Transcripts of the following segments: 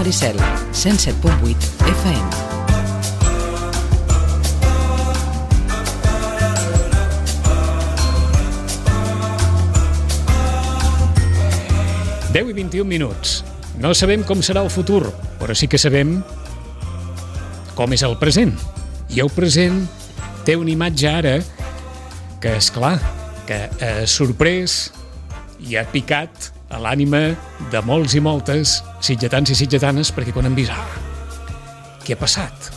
Maricel, 107.8 FM. Deu i 21 minuts. No sabem com serà el futur, però sí que sabem com és el present. I el present té una imatge ara que, és clar, que ha sorprès i ha picat a l'ànima de molts i moltes sitgetans i sitgetanes, perquè quan han vist, què ha passat?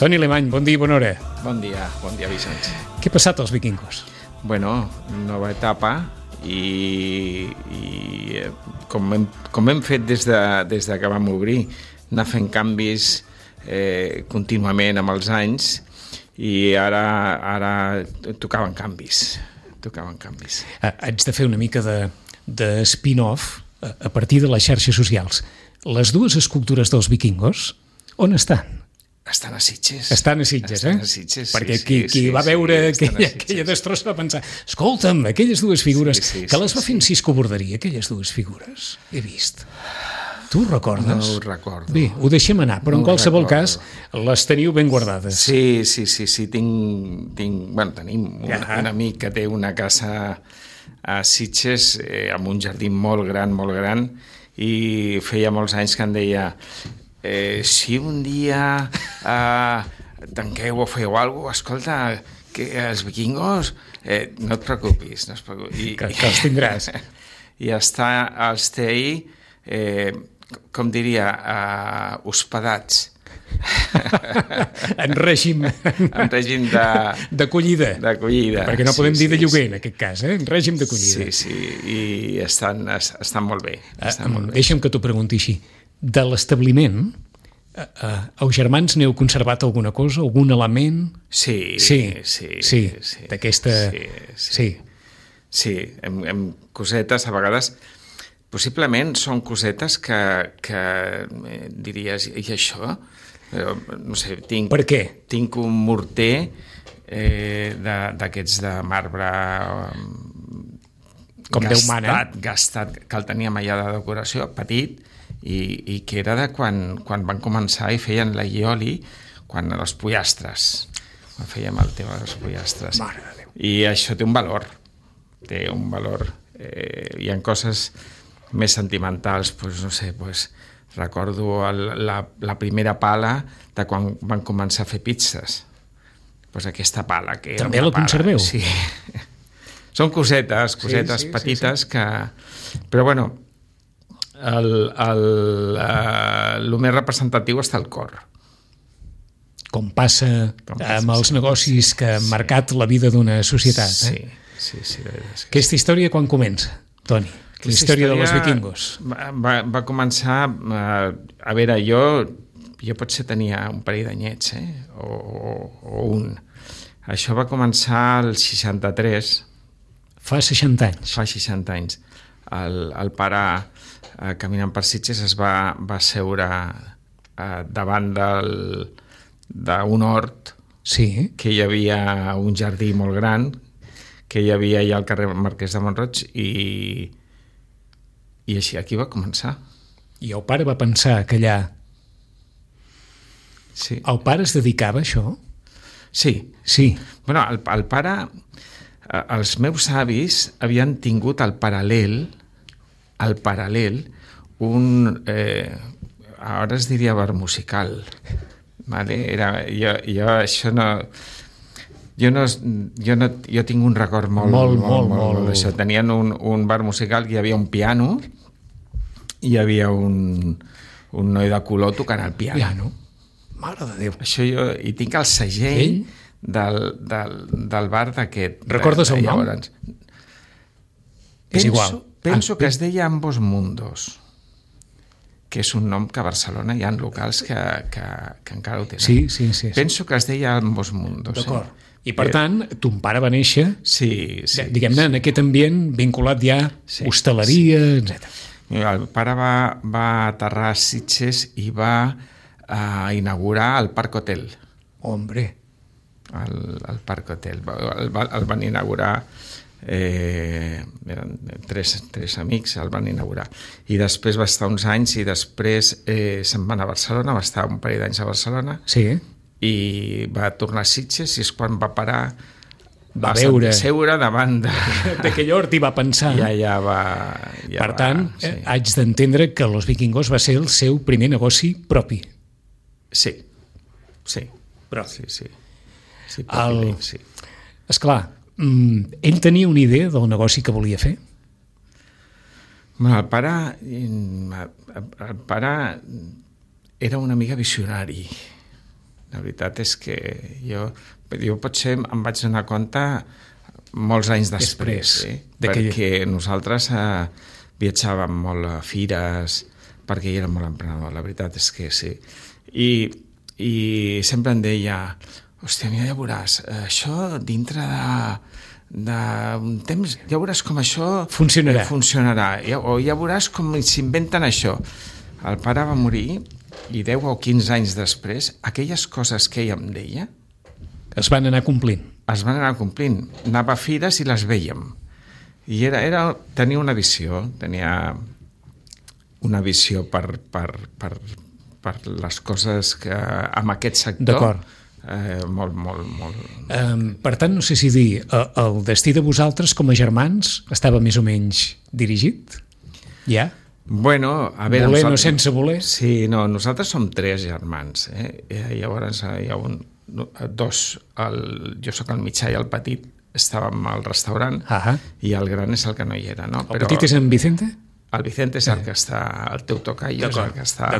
Toni Alemany, bon dia i bona hora. Bon dia, Vicenç. Què ha passat als vikingos? Bueno, nova etapa i com hem fet des de que vam obrir, anar fent canvis contínuament amb els anys, i ara tocaven canvis. Haig de fer una mica de spin-off a partir de les xarxes socials. Les dues escultures dels vikingos, on estan? Estan a Sitges. Estan a Sitges, Estan a Sitges, perquè qui va veure aquella destrossa va pensar, escolta'm, aquelles dues figures, que les va fer en Cisco Borderia, aquelles dues figures, he vist. Tu ho recordes? No ho recordo. Bé, ho deixem anar, però en qualsevol cas les teniu ben guardades. Sí, tenim un amic que té una casa a Sitges amb un jardí molt gran, i feia molts anys que em deia si un dia tanqueu o feu alguna cosa, escolta, que els vikingos no et preocupis. Que els tindràs. I els té ahí, com diria, hospedats. En règim d'acollida. Perquè no podem dir de lloguer, en aquest cas, en règim d'acollida. Sí, i estan molt bé. Deixa'm que t'ho pregunti així. De l'establiment, els germans n'heu conservat alguna cosa, algun element? Sí. D'aquesta... Sí, hem cosetes, a vegades, possiblement són cosetes que diries, i això? No sé, per què? Tinc un morter d'aquests de marbre com Déu mana, gastat, que el teníem allà de decoració, petit, i que era de quan van començar i feien la ioli, quan els pollastres, fèiem el tema dels pollastres. Mare de Déu. I això té un valor. Hi ha coses més sentimentals, no sé, recordo la primera pala de quan van començar a fer pizzas. Aquesta pala, que era també la conserveu? Sí. Són cosetes petites que... Però bueno, el més representatiu està el cor. Com passa amb els negocis que han marcat la vida d'una societat. Sí, la veritat és que aquesta història quan comença, Toni? La història dels vikingos. Va començar... A veure, jo potser tenia un parell d'anyets, o un. Això va començar al 63. Fa 60 anys. Fa 60 anys. El pare, caminant per Sitges, es va seure davant d'un hort, que hi havia un jardí molt gran, que hi havia allà al carrer Marquès de Mont-roig, i així aquí va començar. I el pare va pensar que allà... Sí. El pare es dedicava a això? Sí. Bueno, el pare... Els meus avis havien tingut al paral·lel, ara es diria bar musical. Vale? Jo això no... Jo tinc un record molt d'això. Tenien un bar musical, hi havia un piano, i hi havia un noi de color tocant el piano. Mare de Déu. Això i tinc el segell del bar d'aquest. Recordes el nom? És igual. Penso que es deia Ambos Mundos, que és un nom que a Barcelona hi ha locals que encara ho tenen. Sí. Penso que es deia Ambos Mundos. D'acord. I per tant, ton pare va néixer, diguem-ne, en aquest ambient vinculat ja a hostaleria, etc. El pare va aterrar a Sitges i va inaugurar el Parc Hotel. Hombre. El Parc Hotel. El van inaugurar eren tres amics, el van inaugurar. I després va estar uns anys i després se'n van a Barcelona, va estar un parell d'anys a Barcelona i va tornar a Sitges i és quan va parar, va veure, seure davant d'aquell hort i va pensar. Per tant, haig d'entendre que Los Vikingos va ser el seu primer negoci propi. Sí. Però sí. Esclar, ell tenia una idea del negoci que volia fer? El pare era una mica visionari. La veritat és que jo potser em vaig donar compte molts anys després. Perquè nosaltres viatjàvem molt a fires, perquè ell era molt emprenedor, la veritat és que sí. I sempre em deia, hòstia, mira, ja veuràs, això dintre d'un temps, ja veuràs com això funcionarà. O ja veuràs com s'inventen això. El pare va morir i 10 o 15 anys després, aquelles coses que ell em deia es van anar complint. Anava a fires i les vèiem. I tenia una visió, per les coses que amb aquest sector. D'acord. Molt. Per tant, no sé si dir, el destí de vosaltres com a germans estava més o menys dirigit? Ja? Bueno, a veure... Voler no sense voler? Sí, no, nosaltres som 3 germans. Llavors hi ha dos, jo sóc el mitjà i el petit estàvem al restaurant i el gran és el que no hi era. No? El petit és en Vicente? El Vicente és el que està, el teu tocayo és el que està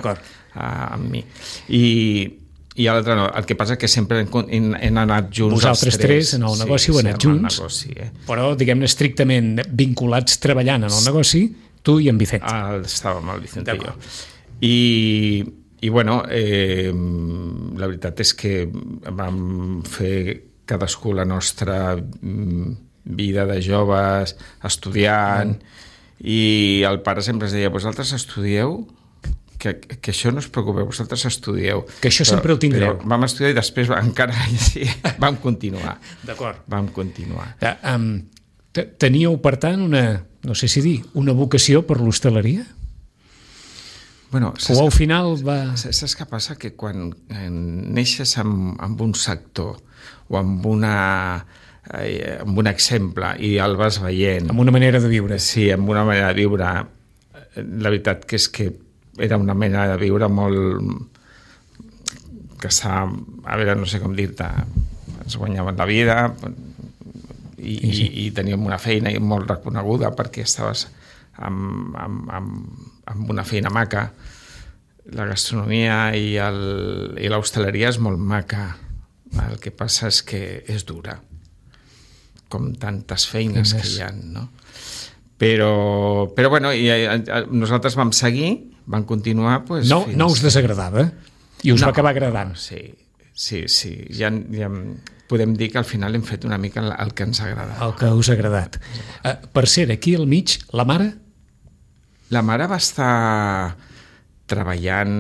amb mi. I l'altre no. El que passa és que sempre hem anat junts. Vosaltres tres en el negoci heu anat junts, però diguem-ne estrictament vinculats treballant en el negoci, tu i en Vicente. Estàvem el Vicente i jo. I bueno, la veritat és que vam fer cadascú la nostra vida de joves, estudiant, i el pare sempre ens deia, vosaltres estudieu, que això no us preocupeu, vosaltres estudieu. Que això sempre ho tindreu. Però vam estudiar i després encara vam continuar. D'acord. Vam continuar. Teníeu, per tant, no sé si dir, una vocació per l'hostaleria? Bueno, o al final va... Saps què passa? Que quan neixes amb un sector o amb un exemple i el vas veient... Amb una manera de viure. Sí, amb una manera de viure. La veritat que és que era una manera de viure molt... que està... A veure, no sé com dir-te... Es guanyaven la vida i teníem una feina molt reconeguda perquè estaves amb una feina maca. La gastronomia i l'hostaleria és molt maca. El que passa és que és dura, com tantes feines que hi ha, no? Però bueno, nosaltres vam seguir, vam continuar... Pues, no us desagradava? I us va acabar agradant? Sí. Ja podem dir que al final hem fet una mica el que ens agrada. El que us ha agradat. Per cert, aquí al mig, la mare? La mare va estar treballant...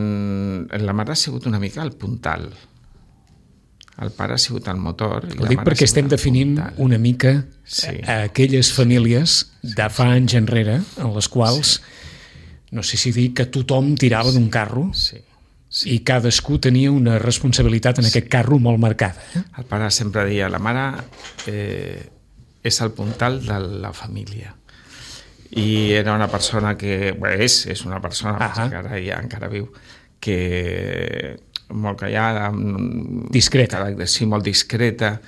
La mare ha sigut una mica el puntal. El pare ha sigut el motor. Ho dic perquè estem definint una mica aquelles famílies de fa anys enrere en les quals, no sé si dir que tothom tirava d'un carro i cadascú tenia una responsabilitat en aquest carro molt marcada. El pare sempre deia, la mare és el puntal de la família. I era una persona que... és una persona que encara viu, que... molt callada, discreta. Sí, molt discreta,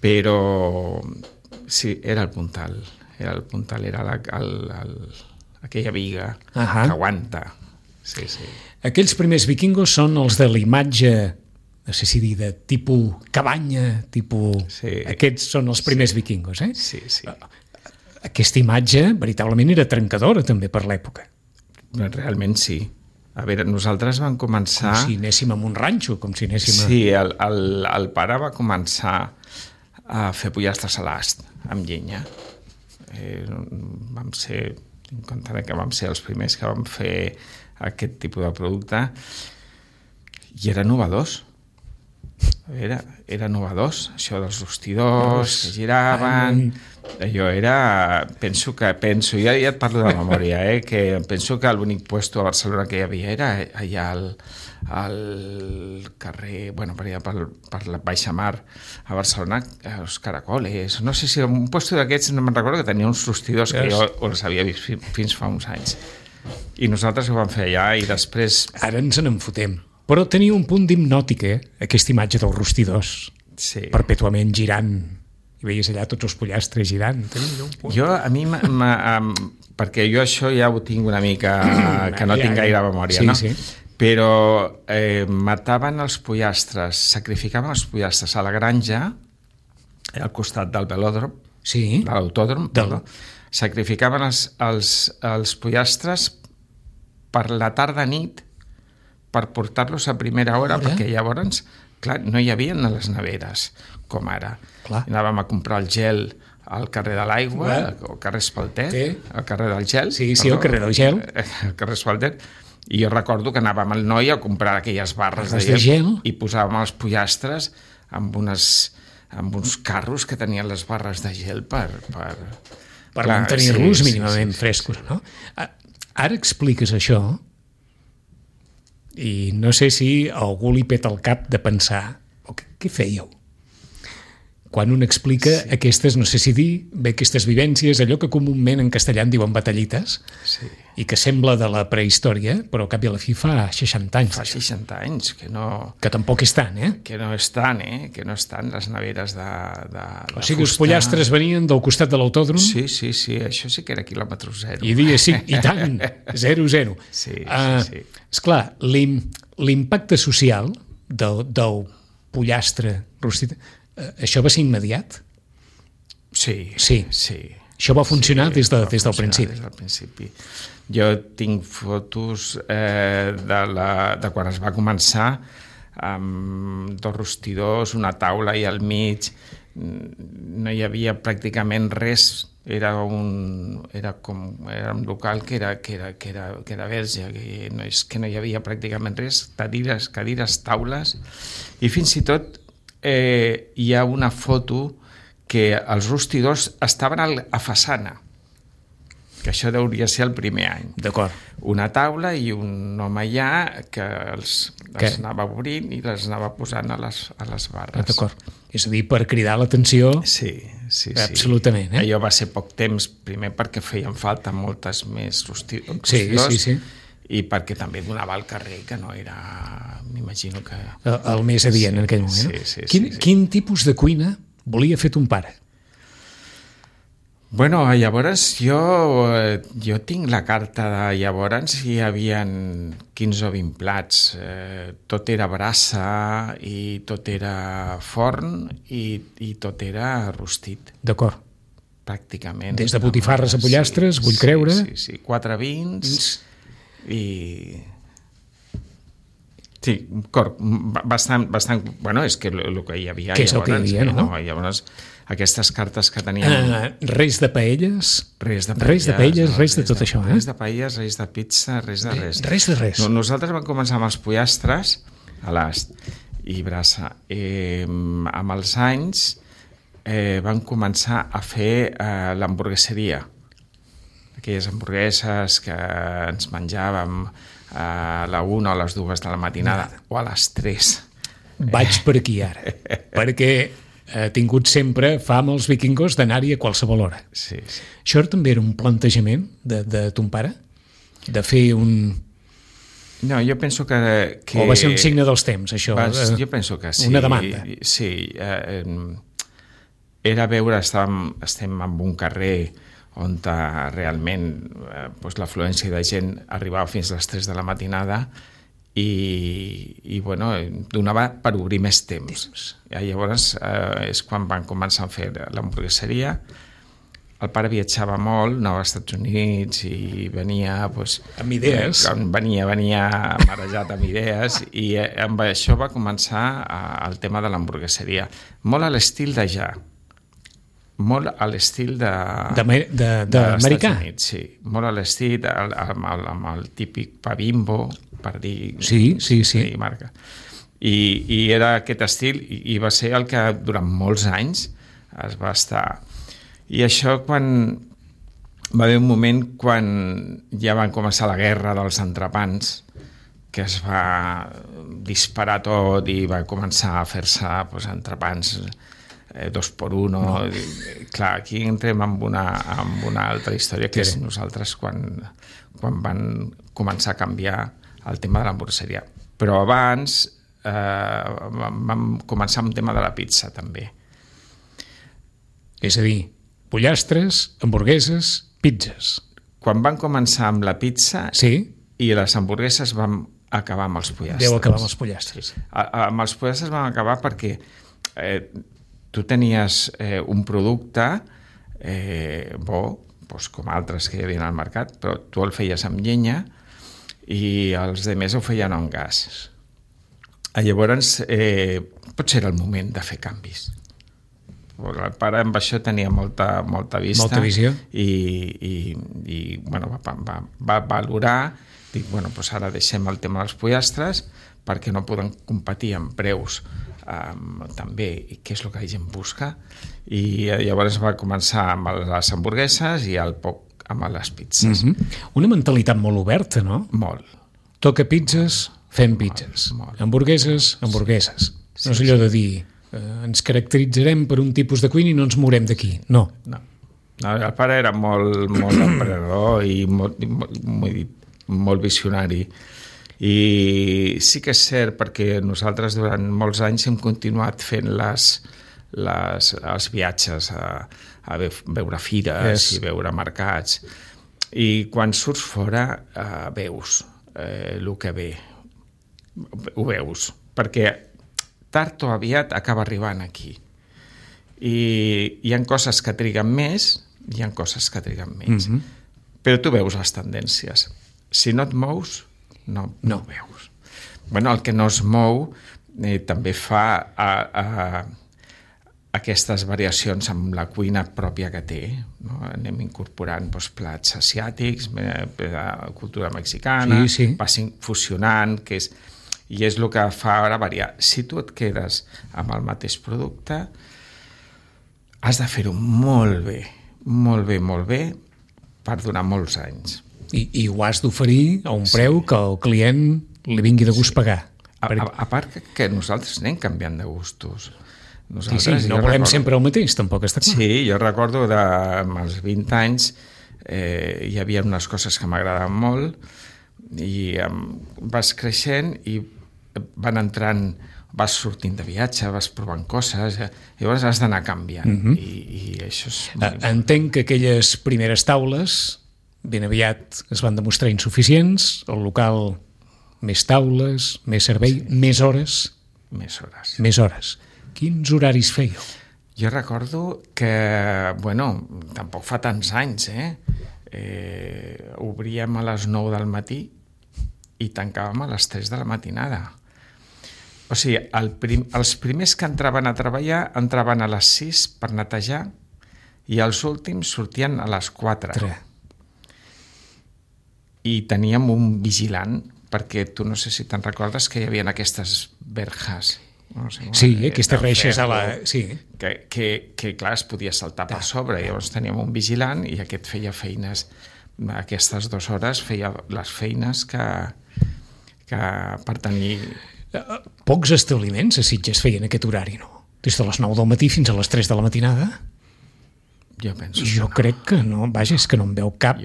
però sí, era el puntal, era aquella viga que aguanta. Sí. Aquells primers vikingos són els de la imatge, no sé si dir, de tipus cabanya, tipus... Sí. Aquests són els primers vikingos, eh? Sí. Aquesta imatge veritablement era trencadora també per l'època. Realment sí. A veure, nosaltres vam començar... Com si anéssim a un ranxo, com si anéssim a... Sí, el pare va començar a fer pollastres a l'ast, amb llenya. Vam ser, en compte que vam ser els primers que vam fer aquest tipus de producte, i eren innovadors. Era novedós, això dels rostidors que giraven. Allò era... Penso, ja et parlo de memòria, que penso que l'únic puesto a Barcelona que hi havia era allà al carrer, bueno, per allà per la Baixa Mar, a Barcelona, els Caracoles, no sé si un puesto d'aquests, no me'n recordo, que tenia uns rostidors que jo els havia vist fins fa uns anys. I nosaltres ho vam fer allà i després... Ara ens en fotem. Però tenia un punt d'hipnòtic, aquesta imatge dels rostidors, perpètuament girant. I veies allà tots els pollastres girant. Jo, a mi, perquè jo això ja ho tinc una mica, que no tinc gaire memòria, no? Sí. Però mataven els pollastres, sacrificaven els pollastres a la granja, al costat del velòdrom, de l'autòdrom, sacrificaven els pollastres per la tarda-nit per portar-los a primera hora, perquè llavors, clar, no hi havia a les neveres, com ara. Anàvem a comprar el gel al carrer de l'Aigua, al carrer Espalter, al carrer del gel. Sí, al carrer del gel. Al carrer Espalter. I jo recordo que anàvem al Noi a comprar aquelles barres de gel i posàvem els pollastres amb uns carros que tenien les barres de gel per mantenir-los mínimament frescos, no? Ara expliques això i no sé si a algú li peta el cap de pensar què fèieu? Quan un explica aquestes, no sé si dir, aquestes vivències, allò que comúment en castellà en diuen batallites, i que sembla de la prehistòria, però al cap i a la fi fa 60 anys. Fa 60 anys, que no... Que tampoc és tant, Que no és tant, que no estan les neveres de o sigui, els pollastres venien del costat de l'autòdrom? Sí, això sí que era quilòmetre zero. I dia sí, i tant, 0-0. Sí. Esclar, l'impacte social del pollastre rostit, això va ser immediat? Sí. Això va funcionar des del principi. Des del principi. Jo tinc fotos de quan es va començar amb 2 rostidors, una taula i al mig, no hi havia pràcticament res, era un local que era verge, que no hi havia pràcticament res, cadires, taules, i fins i tot hi ha una foto que els rostidors estaven a façana, que això hauria ser el primer any. D'acord. Una taula i un home allà que els anava obrint i les anava posant a les barres. D'acord. És a dir, per cridar l'atenció... Sí. Absolutament. Allò va ser poc temps, primer perquè feien falta moltes més rostidors. Sí. I perquè també donava al carrer, que no era... M'imagino que... El més adient en aquell moment. Sí. Quin tipus de cuina volia fer ton pare? Bueno, llavors jo tinc la carta de llavors hi havia 15 o 20 plats. Tot era brasa i tot era forn i tot era rostit. D'acord. Pràcticament. Des de botifarres a pollastres, vull creure. Sí. 4 vins i... Sí, bastant... Bueno, és que el que hi havia... Què és el que hi havia, no? Llavors, aquestes cartes que teníem... Res de paelles? Res de tot això, Res de paelles, res de pizza, res de res. Res de res. Nosaltres vam començar amb els pollastres a l'ast i brasa. Amb els anys vam començar a fer l'hamburgueseria. Aquelles hamburgueses que ens menjàvem a la 1 o a les 2 de la matinada o a les 3. Vaig per aquí ara, perquè he tingut sempre fam als vikingos d'anar-hi a qualsevol hora. Sí. Això també era un plantejament de ton pare? De fer un... No, jo penso que... O va ser un signe dels temps, això? Jo penso que sí. Una demanda. Sí. Era veure, estem en un carrer on realment l'afluència de gent arribava fins a les 3 de la matinada i bueno, donava per obrir més temps. Llavors és quan van començar a fer l'hamburgueseria. El pare viatjava molt, anava als Estats Units i venia... amb idees. Venia marejat amb idees i amb això va començar el tema de l'hamburgueseria. Molt a l'estil d'allà. Molt a l'estil d'Americà. Sí, molt a l'estil amb el típic pa Bimbo, per dir... Sí. Marca. I era aquest estil i va ser el que durant molts anys es va estar. I això quan va haver un moment quan ja van començar la guerra dels entrepans, que es va disparar tot i va començar a fer-se entrepans 2x1. No. Clar, aquí entrem en una altra història, que és nosaltres quan van començar a canviar el tema de l'hamburgueseria. Però abans vam començar amb el tema de la pizza, també. És a dir, pollastres, hamburgueses, pizzas. Quan van començar amb la pizza i les hamburgueses vam acabar amb els pollastres. Deu acabar amb els pollastres. Amb els pollastres vam acabar perquè tu tenies un producte bo, doncs com altres que hi havia al mercat, però tu el feies amb llenya i els demés ho feien amb gas. Llavors, potser era el moment de fer canvis. El pare amb això tenia molta vista. Molta visió. I bueno, va valorar, dic, bueno, doncs ara deixem el tema dels pollastres perquè no poden competir en preus també, què és el que la gent busca, i llavors va començar amb les hamburgueses i al poc amb les pizzas. Una mentalitat molt oberta, no? Molt. Toca pizzas, fem pizzas. Molt. Hamburgueses, hamburgueses. No és allò de dir ens caracteritzarem per un tipus de cuina i no ens mourem d'aquí. No. El pare era molt emprenedor i molt visionari. I sí que és cert, perquè nosaltres durant molts anys hem continuat fent els viatges a veure fires i veure mercats. I quan surts fora veus el que ve. Ho veus. Perquè tard o aviat acaba arribant aquí. I hi ha coses que triguen més i hi ha coses que triguen menys. Però tu veus les tendències. Si no et mous, no ho veus. Bueno, el que no es mou també fa aquestes variacions amb la cuina pròpia que té. No? Anem incorporant plats asiàtics, cultura mexicana, vas fusionant, i és el que fa ara variar. Si tu et quedes amb el mateix producte, has de fer-ho molt bé, per donar molts anys. I ho has d'oferir a un preu que el client li vingui de gust pagar. A part que nosaltres anem canviant de gustos. No volem sempre el mateix, tampoc està clar. Sí, jo recordo als 20 anys hi havia unes coses que m'agradaven molt i vas creixent i van entrant, vas sortint de viatge, vas provant coses, llavors has d'anar canviant. I això és... Entenc que aquelles primeres taules ben aviat es van demostrar insuficients, el local més taules, més servei, més hores. Més hores. Quins horaris fèieu? Jo recordo que, tampoc fa tants anys, obríem a les 9 del matí i tancàvem a les 3 de la matinada. O sigui, els primers que entraven a treballar entraven a les 6 per netejar i els últims sortien a les 4. I teníem un vigilant, perquè tu no sé si te'n recordes que hi havia aquestes verjas. No sé, aquestes reixes a la... Que clar, es podia saltar per sobre. Llavors teníem un vigilant i aquest feia feines, aquestes 2 hores feia les feines que per tenir... Pocs establiments a Sitges feien aquest horari, no? Des de les 9 del matí fins a les 3 de la matinada? Jo crec que no. Vaja, és que no em veu cap,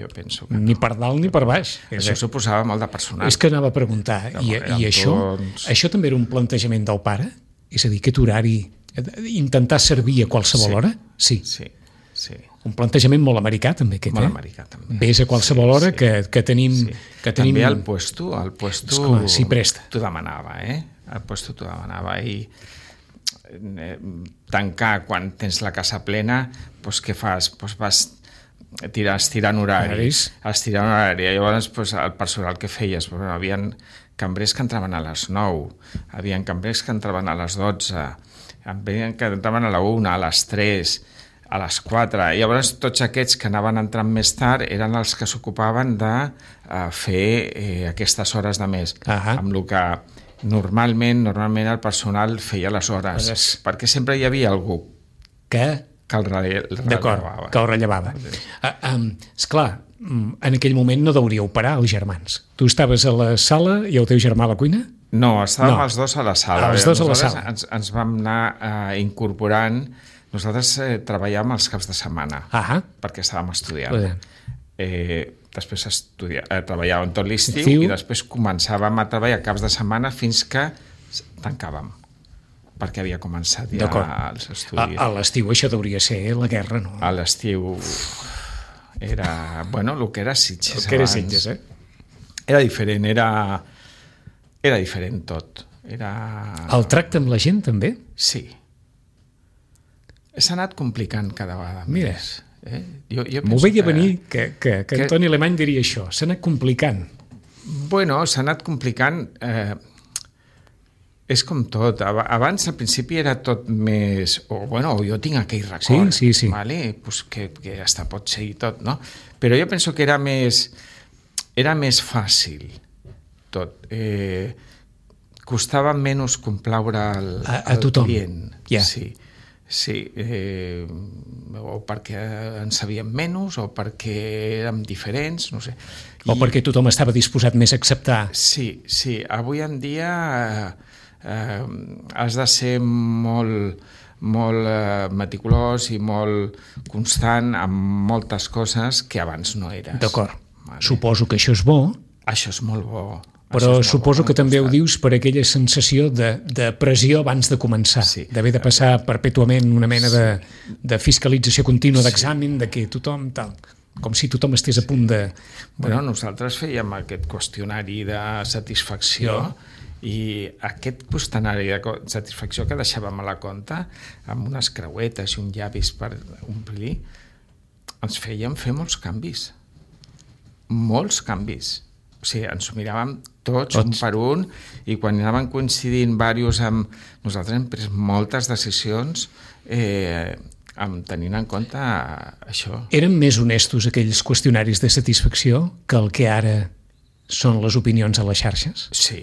ni per dalt ni per baix. Això suposava molt de personal. És que anava a preguntar, i això també era un plantejament del pare? És a dir, aquest horari, intentar servir a qualsevol hora? Sí. Un plantejament molt americà, també, aquest, molt americà, també. Ves a qualsevol hora que tenim... També el puesto s'hi presta. T'ho demanava, El puesto t'ho demanava, i tancar quan tens la casa plena, doncs què fas? Doncs vas estirant horaris. Llavors el personal que feies, hi havia cambrers que entraven a les 9, hi havia cambrers que entraven a les 12, hi havia que entraven a la 1, a les 3, a les 4. Llavors tots aquests que anaven entrant més tard eren els que s'ocupaven de fer aquestes hores de més, amb el que normalment el personal feia les hores, perquè sempre hi havia algú que el rellevava. D'acord, que el rellevava. Esclar, en aquell moment no deuríeu parar els germans. Tu estaves a la sala i el teu germà a la cuina? No, estàvem els dos a la sala. Els dos a la sala. Ens vam anar incorporant. Nosaltres treballàvem els caps de setmana, perquè estàvem estudiant. Després treballàvem tot l'estiu i després començàvem a treballar caps de setmana fins que tancàvem, perquè havia començat ja els estudis. A l'estiu això hauria ser la guerra, no? A l'estiu era, el que era Sitges abans. El que era Sitges, Era diferent, era diferent tot. El tracte amb la gent, també? Sí. S'ha anat complicant cada vegada més. Mira, m'ho veia venir que Antoni Alemany diria això, s'ha anat complicant. S'ha anat complicant, és com tot. Abans, al principi, era tot més... jo tinc aquell record, sí. Vale? Pues que hasta pot ser i tot, no? Però jo penso que era més fàcil tot. Costava menys complaure al client. Sí, o perquè en sabíem menys, o perquè érem diferents, no sé. O perquè tothom estava disposat més a acceptar. Sí. Avui en dia has de ser molt meticulós i molt constant amb moltes coses que abans no eres. D'acord. Suposo que això és bo. Això és molt bo. Però suposo que també ho dius per aquella sensació de pressió abans de començar, d'haver de passar perpètuament una mena de fiscalització contínua d'examen, de que tothom tal, com si tothom estés a punt de... Nosaltres fèiem aquest qüestionari de satisfacció i aquest qüestionari de satisfacció que deixàvem a la compta amb unes creuetes i un llavis per omplir, ens feien fer molts canvis. O sigui, ens ho miràvem tots un per un, i quan anaven coincidint diversos amb... Nosaltres hem pres moltes decisions tenint en compte això. Eren més honestos aquells qüestionaris de satisfacció que el que ara són les opinions a les xarxes? Sí.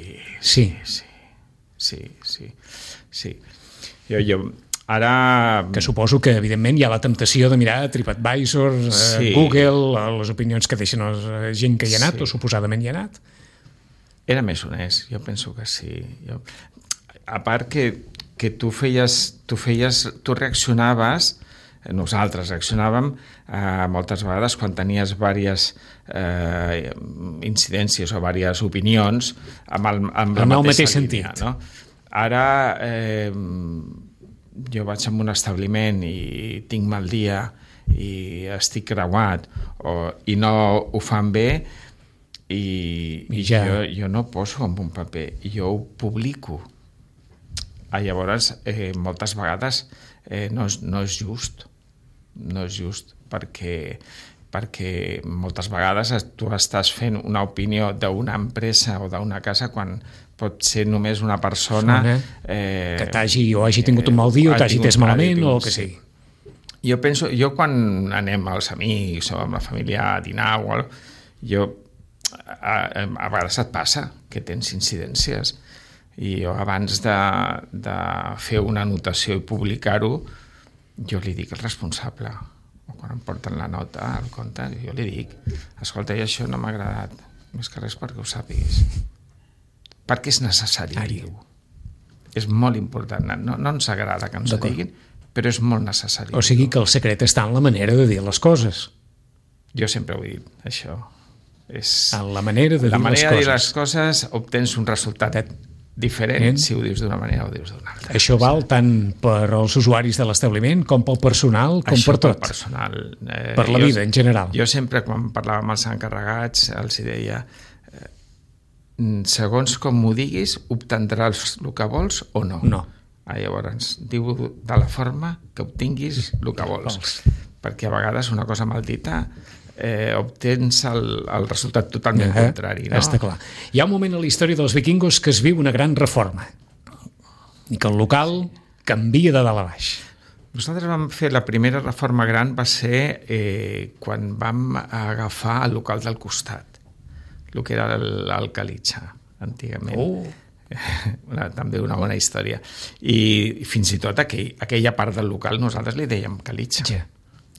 Jo ara... Que suposo que, evidentment, hi ha la temptació de mirar TripAdvisor, Google, les opinions que deixen la gent que hi ha anat, o suposadament hi ha anat. Era més honest, jo penso que sí. A part que tu reaccionaves, nosaltres reaccionàvem moltes vegades quan tenies diverses incidències o diverses opinions amb la mateixa línia, no? Ara... jo vaig a un establiment i tinc mal dia i estic creuat i no ho fan bé i jo no poso en un paper, jo ho publico. Llavors, moltes vegades no és just, perquè moltes vegades tu estàs fent una opinió d'una empresa o d'una casa quan pot ser només una persona que hagi tingut un mal dia o t'hagi tès malament o el que sigui. Jo quan anem als amics o amb la família a dinar o a vegades et passa que tens incidències i jo abans de fer una anotació i publicar-ho jo li dic al responsable, o quan em porten la nota al compte, jo li dic, escolta, i això no m'ha agradat, més que res perquè ho sàpiguis, perquè és necessari dir-ho. És molt important, no ens agrada que ens ho diguin, però és molt necessari. O sigui que el secret està en la manera de dir les coses. Jo sempre ho he dit, això. En la manera de dir les coses. La manera de dir les coses obtens un resultat diferent si ho dius d'una manera o dius d'una altra. Això val tant per als usuaris de l'establiment com pel personal, com per tot. Això pel personal. Per la vida, en general. Jo sempre, quan parlava amb els encarregats, els deia segons com m'ho diguis, obtindràs el que vols o no. No. Llavors, diu de la forma que obtinguis el que vols. Perquè a vegades una cosa mal dita obtens el resultat totalment contrari. No? Està clar. Hi ha un moment a la història dels vikingos que es viu una gran reforma i que el local canvia de dalt a baix. Nosaltres vam fer la primera reforma gran va ser quan vam agafar el local del costat, el que era el Calitxa, antigament. també una bona història. I fins i tot aquella part del local nosaltres li dèiem Calitxa. Ja.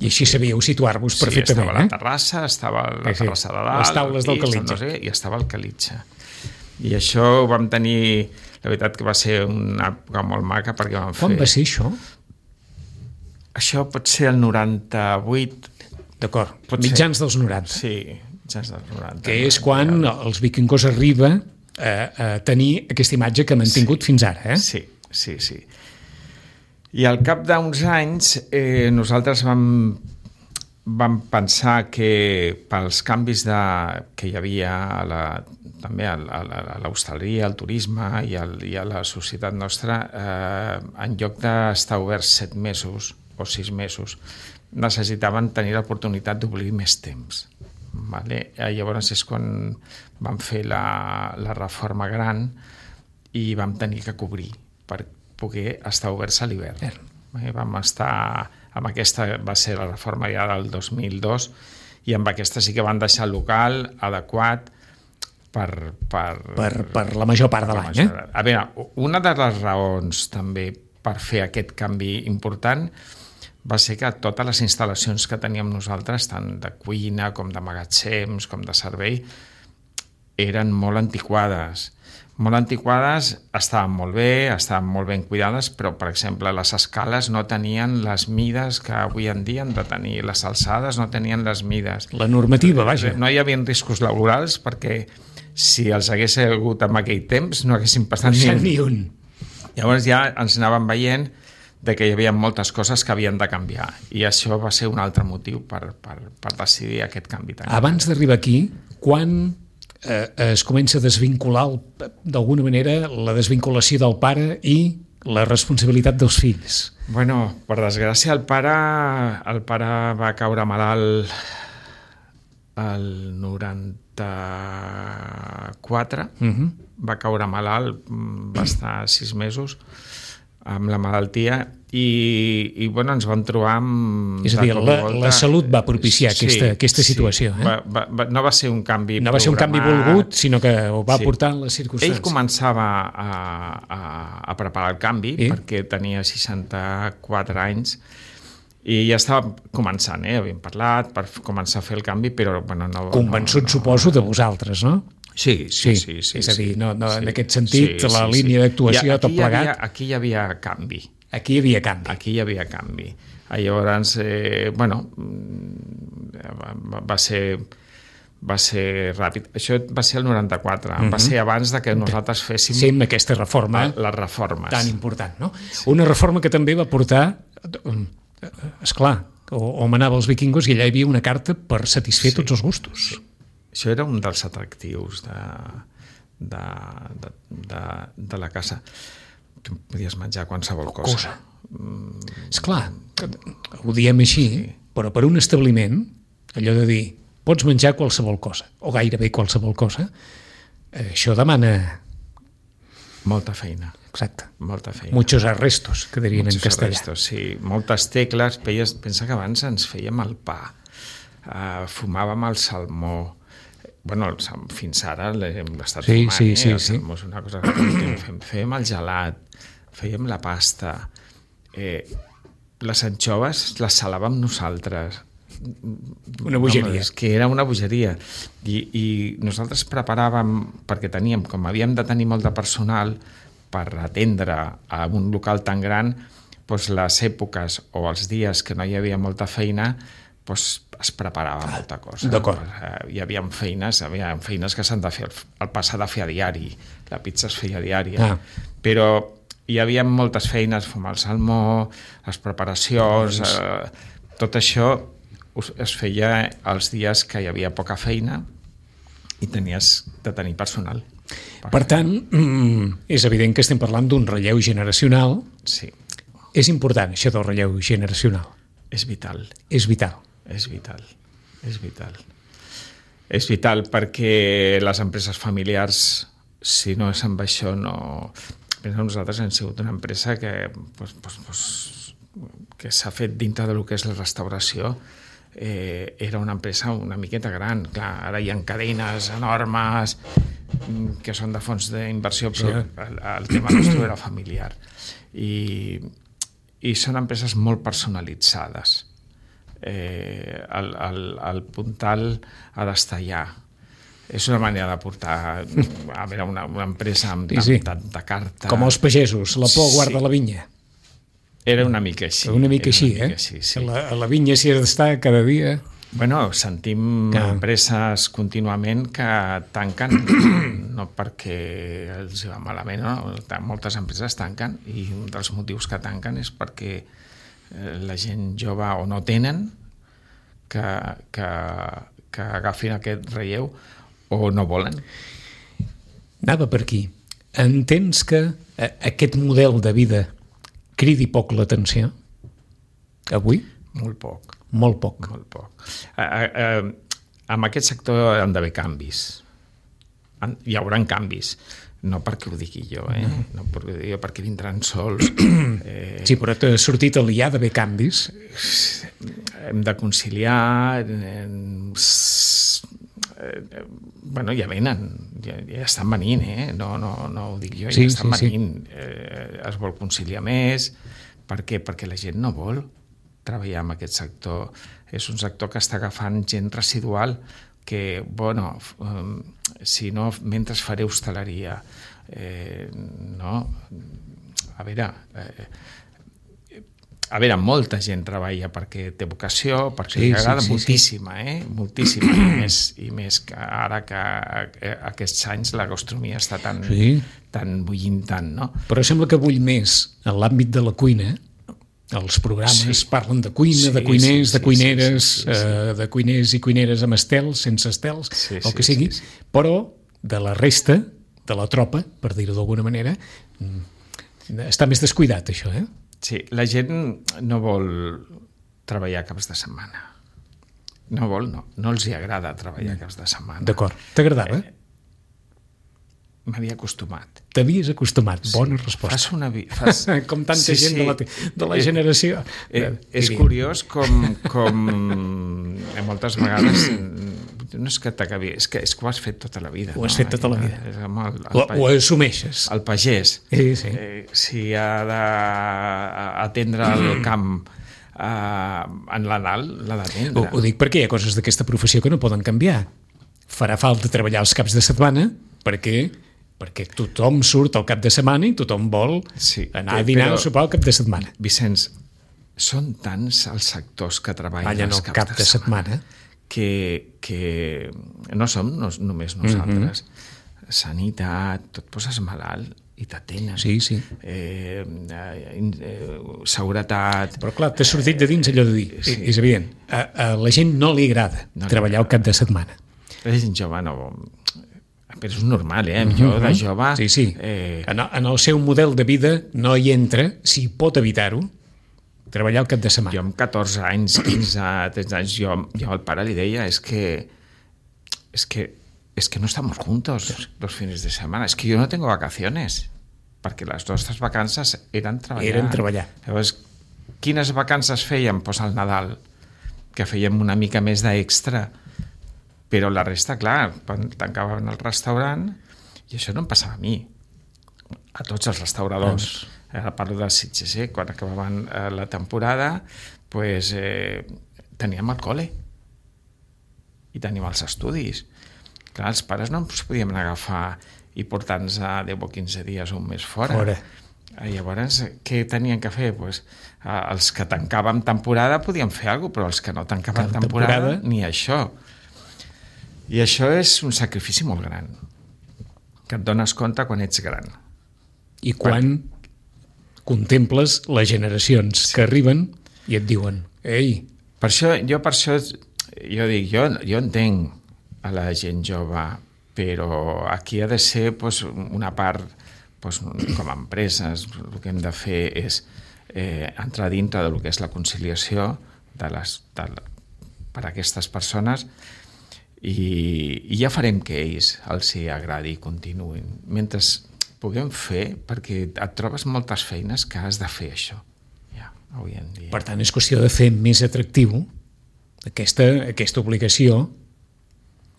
I així sabíeu situar-vos perfectament. Estava la terrassa, estava la terrassa de dalt, les taules del Calitxa. No sé, i estava el Calitxa. I això ho vam tenir... La veritat que va ser una època molt maca perquè vam fer... Quan va ser això? Això pot ser el 98... D'acord, mitjans dels 90. Sí, mitjans dels 90. Que és quan els vikingos arriba a tenir aquesta imatge que han mantingut fins ara, eh? Sí. I al cap d'uns anys nosaltres vam pensar que pels canvis que hi havia també a l'hostaleria, al turisme i a la societat nostra, en lloc d'estar oberts 7 mesos o 6 mesos, necessitaven tenir l'oportunitat d'obrir més temps. Vale? Llavors és quan vam fer la reforma gran i vam tenir que cobrir per poder estar oberts a l'hivern. Vam estar amb aquesta, va ser la reforma ja del 2002, i amb aquesta sí que van deixar el local adequat per la major part de l'any. A veure, una de les raons també per fer aquest canvi important va ser que totes les instal·lacions que teníem nosaltres, tant de cuina com de magatzems, com de servei, eren molt antiquades. Molt antiquades, estaven molt ben cuidades, però, per exemple, les escales no tenien les mides que avui en dia han de tenir, les alçades no tenien les mides. La normativa, vaja. No hi havia riscos laborals perquè si els hagués hagut en aquell temps no haguessin passat ni un. Llavors ja ens anàvem veient de que hi havia moltes coses que havien de canviar, i això va ser un altre motiu per decidir aquest canvi. Abans d'arribar aquí, quan es comença a desvincular d'alguna manera la desvinculació del pare i la responsabilitat dels fills? Bueno, per desgràcia el pare va caure malalt el 94, va caure malalt, va estar 6 mesos amb la malaltia i bueno, ens vam trobar amb... És a dir, la salut va propiciar aquesta situació. No va ser un canvi no va ser un canvi volgut, sinó que ho va portar en les circumstàncies. Ell començava a preparar el canvi perquè tenia 64 anys i ja estava començant, havíem parlat per començar a fer el canvi, però bueno, no... Convençut, suposo, de vosaltres, no? Sí. És a dir, en aquest sentit, la línia d'actuació, tot plegat... Aquí hi havia canvi. Aquí hi havia canvi. Llavors, bueno, va ser ràpid. Això va ser el 94. Va ser abans de que nosaltres féssim aquesta reforma. Les reformes. Tan important, no? Sí. Una reforma que també va portar... Esclar, on anava els vikingos i allà hi havia una carta per satisfer tots els gustos. Sí. Això era un dels atractius de la casa. Tu podies menjar qualsevol cosa. Esclar, ho diem així, però per un establiment, allò de dir, pots menjar qualsevol cosa, o gairebé qualsevol cosa, això demana... Molta feina. Exacte. Molta feina. Muchos arrestos, que dirien en castellà. Arrestos, sí. Moltes tecles. Pensa que abans ens fèiem el pa, fumàvem el salmó. Bueno, fins ara l'hem estat fumant. Sí. El salmó és una cosa que fèiem el gelat, fèiem la pasta. Les anxoves les salàvem nosaltres. Una bogeria. És que era una bogeria. I nosaltres preparàvem, perquè teníem, com havíem de tenir molt de personal per atendre a un local tan gran, doncs les èpoques o els dies que no hi havia molta feina, doncs es preparava molta cosa. D'acord. Hi havia feines que s'han de fer, el pa s'ha de fer a diari, la pizza es feia diària, però hi havia moltes feines, fumar el salmó, les preparacions, tot això es feia els dies que hi havia poca feina i tenies de tenir personal. Per tant, és evident que estem parlant d'un relleu generacional. Sí. És important, això del relleu generacional. És vital. És vital. És vital. És vital. És vital perquè les empreses familiars, si no és amb això, no... Nosaltres hem sigut una empresa que s'ha fet dintre del que és la restauració. Era una empresa una miqueta gran. Clar, ara hi ha cadenes enormes, que són de fons d'inversió, però el tema nostre era familiar. I són empreses molt personalitzades. El puntal ha d'estar allà. És una manera de portar a veure una empresa amb tanta carta. Com els pagesos, la por guarda la vinya. Era una mica així. Una mica així, eh? Sí. A la vinya s'hi ha d'estar cada dia. Bueno, sentim empreses contínuament que tanquen, no perquè els va malament, no? Moltes empreses tanquen i un dels motius que tanquen és perquè la gent jove o no tenen que agafin aquest relleu o no volen. Anava per aquí. Entens que aquest model de vida cridi poc l'atenció avui? Molt poc. Molt poc. Molt poc. En aquest sector han d'haver canvis. Hi haurà canvis. No perquè ho digui jo, no perquè ho digui jo, perquè vindran sols. Sí, però t'ha sortit a l'IA d'haver canvis. Hem de conciliar... Bueno, ja venen, ja estan venint, no ho dic jo, ja estan venint. Es vol conciliar més. Per què? Perquè la gent no vol treballar en aquest sector. És un sector que està agafant gent residual que, bueno, si no, mentre faré hostaleria, no? A veure, molta gent treballa perquè té vocació, perquè li agrada moltíssima, moltíssima, i més que ara que aquests anys la gastronomia està tan bullint tant, no? Però sembla que bull més en l'àmbit de la cuina. Els programes parlen de cuina, de cuiners, de cuineres, de cuiners i cuineres amb estels, sense estels, el que sigui, però de la resta, de la tropa, per dir-ho d'alguna manera, està més descuidat, això, Sí, la gent no vol treballar caps de setmana. No els hi agrada treballar caps de setmana. D'acord. T'agradava? M'havia acostumat. T'havies acostumat, bona resposta. Com tanta gent de la generació. És curiós com moltes vegades no és que t'acabi, és que ho has fet tota la vida. Ho has fet tota la vida. Ho assumeixes. El pagès, si ha d'atendre el camp en l'anal, l'ha d'atendre. Ho dic perquè hi ha coses d'aquesta professió que no poden canviar. Farà falta treballar els caps de setmana perquè tothom surt al cap de setmana i tothom vol anar a dinar o sopar al cap de setmana. Vicenç, són tants els sectors que treballen els caps de setmana que no som només nosaltres. Sanitat, tu et poses malalt i t'atenen. Sí. Seguretat... Però clar, t'has sortit de dins allò de dir. És evident. A la gent no li agrada treballar al cap de setmana. La gent jove no... Però és normal, Jo de jove... Sí. En el seu model de vida no hi entra, si pot evitar-ho, treballar al cap de setmana. Jo amb 14 anys, 15, 13 anys, jo al pare li deia es que no estamos juntos los fines de semana, es que yo no tengo vacaciones, perquè les nostres vacances eren treballar. Llavors, quines vacances fèiem? Pues al Nadal, que fèiem una mica més d'extra, però la resta, clar, quan tancaven el restaurant, i això no em passava a mi, a tots els restauradors. Ara parlo de Sitges, quan acabaven la temporada, pues, teníem el col·le i teníem els estudis. Clar, els pares no ens podíem agafar i portar-nos a 10 o 15 dies o un mes fora. Llavors, què tenien que fer? Pues, els que tancàvem temporada podien fer alguna cosa, però els que no tancaven temporada, ni això. I això és un sacrifici molt gran, que et dones compte quan ets gran. I quan contemples les generacions que arriben i et diuen, ei... Per això dic, jo entenc a la gent jove, però aquí ha de ser una part, com a empreses, el que hem de fer és entrar dintre del que és la conciliació per a aquestes persones i ja farem que ells els hi agradi i continuïn. Mentre puguem fer, perquè et trobes moltes feines que has de fer això, ja, avui en dia. Per tant, és qüestió de fer més atractiu aquesta obligació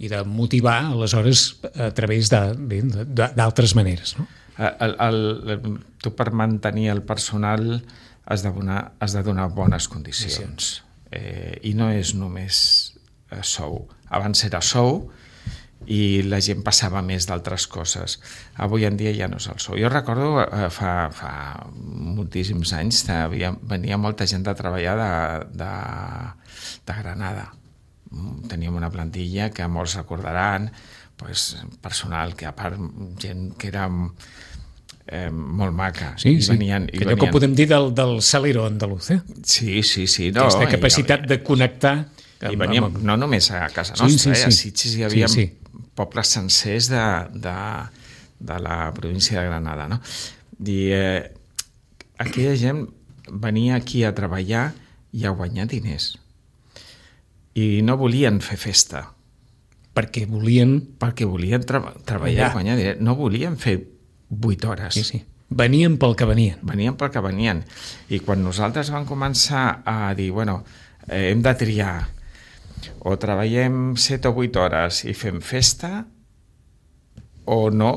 i de motivar, aleshores, a través d'altres maneres, no? Tu per mantenir el personal has de donar bones condicions. I no és només sou. Abans era sou i la gent passava més d'altres coses. Avui en dia ja no és el sou. Jo recordo fa moltíssims anys venia molta gent a treballar de Granada. Teníem una plantilla que molts recordaran, personal que a part gent que era molt maca. Sí. Allò que podem dir del salero andaluz, eh? Sí. No, aquesta capacitat de connectar. I veníem no només a casa nostra, a Sitges hi havia pobles sencers de la província de Granada, no? I aquella gent venia aquí a treballar i a guanyar diners. I no volien fer festa. Perquè volien treballar i guanyar diners. No volien fer 8 hores. Sí. Venien pel que venien. I quan nosaltres vam començar a dir, hem de triar, o treballem 7 o 8 hores i fem festa, o no,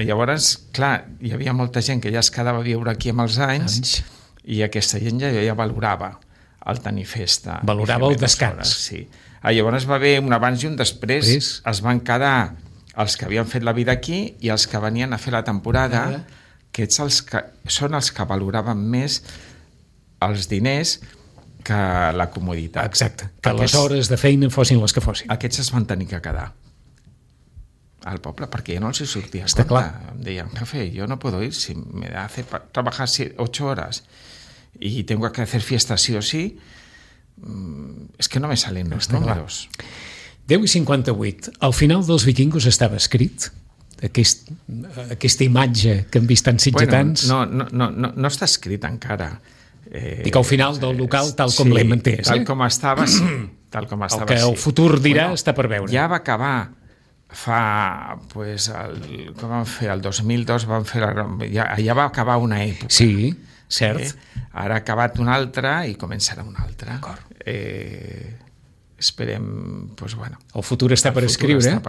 llavors, clar, hi havia molta gent que ja es quedava a viure aquí amb els anys. I aquesta gent ja valorava el tenir festa. Valorava el descans. Sí. Llavors va haver un abans i un després. Es van quedar els que havien fet la vida aquí i els que venien a fer la temporada, que són els que valoraven més els diners que la comoditat. Exacte, que les hores de feina fossin les que fossin. Aquests es van tenir que quedar al poble perquè ja no els hi sortia. Està clar. Em deien, jefe, yo no puedo ir si me hace trabajar 8 horas y tengo que hacer fiesta sí o sí, es que no me salen los números. 10:58. Al final dels Vikingos estava escrit aquesta imatge que hem vist tan sitgetans. No està escrit encara. Dic al final del local tal com l'hem entès. Tal com estava, sí. El que el futur dirà està per veure. Ja va acabar com van fer? El 2002 van fer ja va acabar una època. Sí, cert. Ara ha acabat una altra i començarà una altra. Esperem, el futur està per escriure.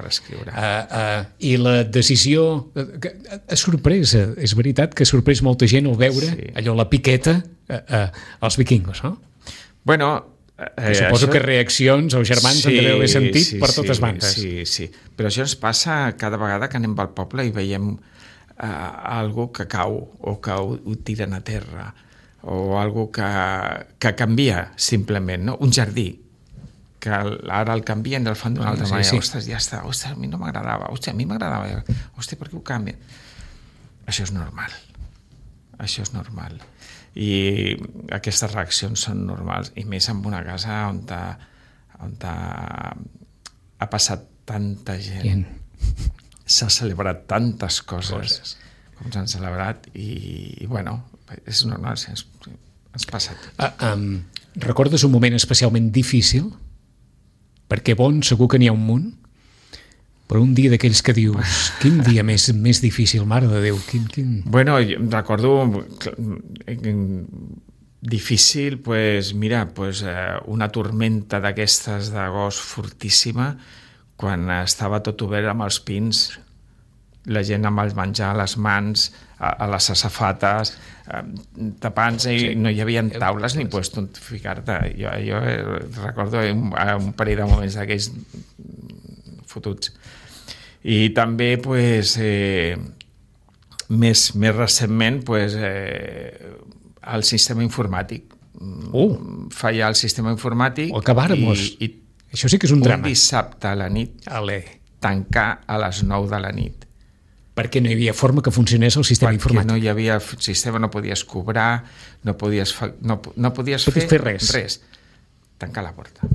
I la decisió ha sorprès, és veritat que ha sorprès molta gent al veure allò, la piqueta als Vikingos, no? Suposo que reaccions els germans han d'haver sentit per totes bandes. Sí. Però això ens passa cada vegada que anem al poble i veiem algú que cau o que ho tiren a terra o algú que canvia simplement, no? Un jardí que ara el canvien i el fan d'una altra manera. Ostres, ja està. Ostres, a mi no m'agradava. Ostres, a mi m'agradava. Ostres, per què ho canvien? Això és normal. I aquestes reaccions són normals, i més en una casa on ha passat tanta gent. S'ha celebrat tantes coses com s'han celebrat i és normal, ens passa tot. Recordes un moment especialment difícil? Perquè bon segur que n'hi ha un munt, però un dia d'aquells que dius, quin dia més difícil, mare de Déu, quin... Recordo difícil, una tormenta d'aquestes d'agost fortíssima, quan estava tot obert amb els pins, la gent amb el menjar a les mans, a les safates, tapant-se, i no hi havia taules ni puesto on ficar-te. Jo recordo un parell de moments d'aquells fotuts. I també, més recentment, el sistema informàtic. Fallar el sistema informàtic i això sí que és un drama. Un dissabte a la nit tancar a les 9 de la nit. Perquè no hi havia forma que funcionés el sistema informàtic. Perquè no hi havia sistema, no podies cobrar, no podies fer res. Tancar la porta.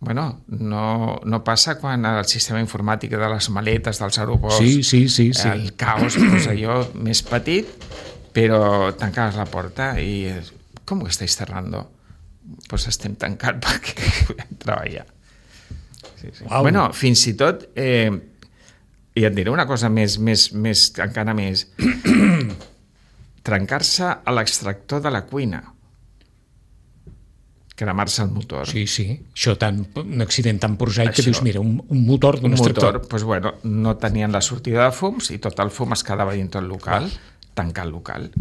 No passa quan el sistema informàtic de les maletes dels aeroports, sí. el caos, allò més petit, però tancaves la porta i com ho estáis cerrando? Pues estem tancats perquè podem treballar. Wow. Fins i tot, i et diré una cosa encara més, trencar-se a l'extractor de la cuina. cremar-se el motor. Sí. Això un accident tan prosaic que dius, mira, un motor d'un extractor. Doncs, bueno, no tenien la sortida de fums i tot el fum es quedava dins el local, tancar el local.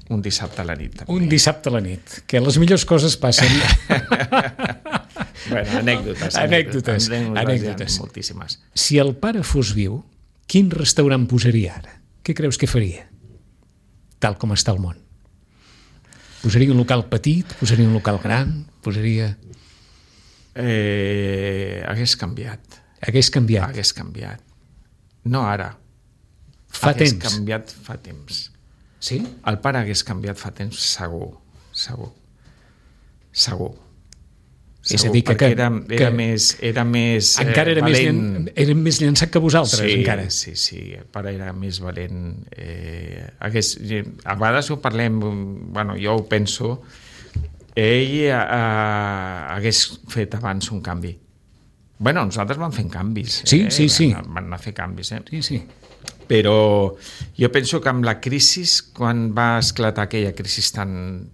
Un dissabte a la nit. També. Un dissabte a la nit, que les millors coses passen. Bueno, anècdotes. Moltíssimes. Si el pare fos viu, quin restaurant posaria ara? Què creus que faria? Tal com està el món. Posaria un local petit? Posaria un local gran? Posaria... Hagués canviat. Hagués canviat. No ara. Hagués canviat fa temps. Sí? El pare hagués canviat fa temps, segur. És a dir, que era més encara era valent. Era més llançat que vosaltres, encara. Sí, el pare era més valent. A vegades ho parlem, jo ho penso, ell hagués fet abans un canvi. Nosaltres vam fent canvis. Sí. Van anar a fer canvis. Sí. Però jo penso que amb la crisi, quan va esclatar aquella crisi tan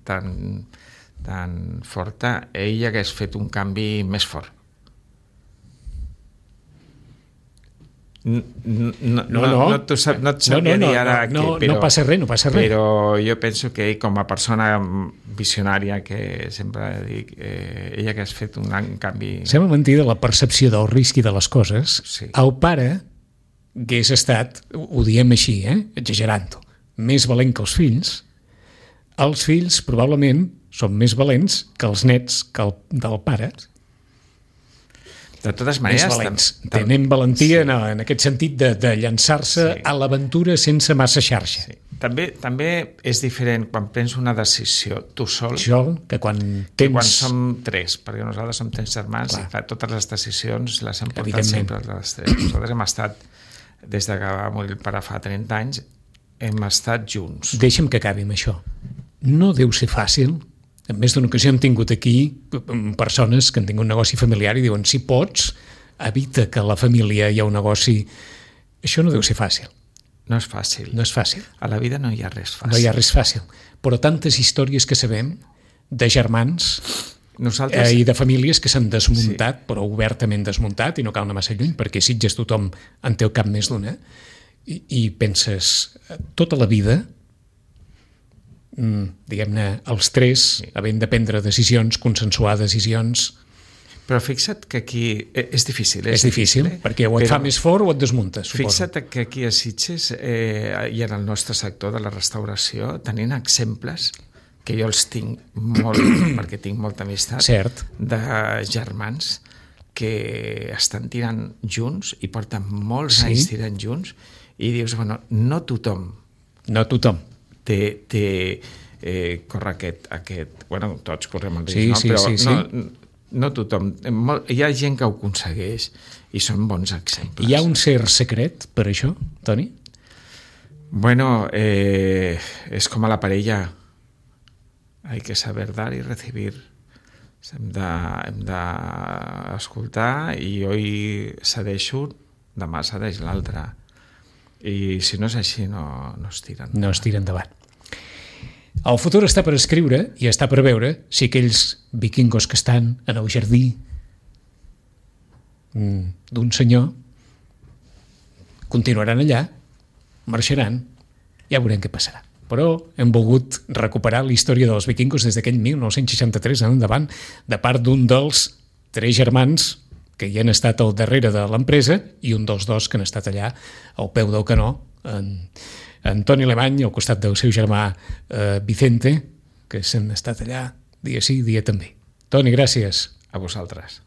forta, ell hagués fet un canvi més fort. No et sabria dir ara què, no passa res. Però jo penso que ell, com a persona visionària, que sempre dic, ell hagués fet un gran canvi. Sembla mentida la percepció del risc i de les coses. Sí. El pare hagués estat, ho diem així, exagerant-ho, més valent que els fills. Els fills probablement són més valents que els nets del pare. De totes maneres... Més valents. Tenen valentia en aquest sentit de llançar-se a l'aventura sense massa xarxa. Sí. També és diferent quan prens una decisió tu sol, que quan som tres, perquè nosaltres som tres germans. Clar. I totes les decisions les hem portat sempre les tres. Nosaltres hem estat, des que va morir el pare fa 30 anys, hem estat junts. Deixa'm que acabi amb això. No deu ser fàcil. En més d'una ocasió hem tingut aquí persones que han tingut un negoci familiar i diuen, si pots, evita que a la família hi ha un negoci. Això no deu ser fàcil. No és fàcil. No és fàcil. A la vida no hi ha res fàcil. No hi ha res fàcil. Però tantes històries que sabem de germans i de famílies que s'han desmuntat, però obertament desmuntat, i no cal anar massa lluny, perquè a Sitges tothom en té al cap més d'una, i penses, tota la vida, diguem-ne, els tres, havent de prendre decisions, consensuar decisions... Però fixa't que aquí és difícil. És difícil, perquè o et fa més fort o et desmuntes, suposo. Fixa't que aquí a Sitges i en el nostre sector de la restauració tenint exemples que jo els tinc molt, perquè tinc molta amistat, de germans que estan tirant junts i porten molts anys tirant junts i dius, no tothom corre aquest... tots correm el risc, però no tothom. Hi ha gent que ho aconsegueix i són bons exemples. Hi ha un cert secret per això, Toni? És com a la parella. Hay que saber dar y recibir. Hem d'escoltar i hoy cedeixo, demà cedeix l'altre. I si no és així, no es tiren. No es tiren endavant. El futur està per escriure i està per veure si aquells vikingos que estan en el jardí d'un senyor continuaran allà, marxaran, ja veurem què passarà. Però hem volgut recuperar la història dels vikingos des d'aquell 1963 en endavant, de part d'un dels 3 germans que hi han estat al darrere de l'empresa i un dels 2 que han estat allà al peu del canó, en Toni Alemany, al costat del seu germà Vicente, que s'han estat allà dia sí, dia també. Toni, gràcies. A vosaltres.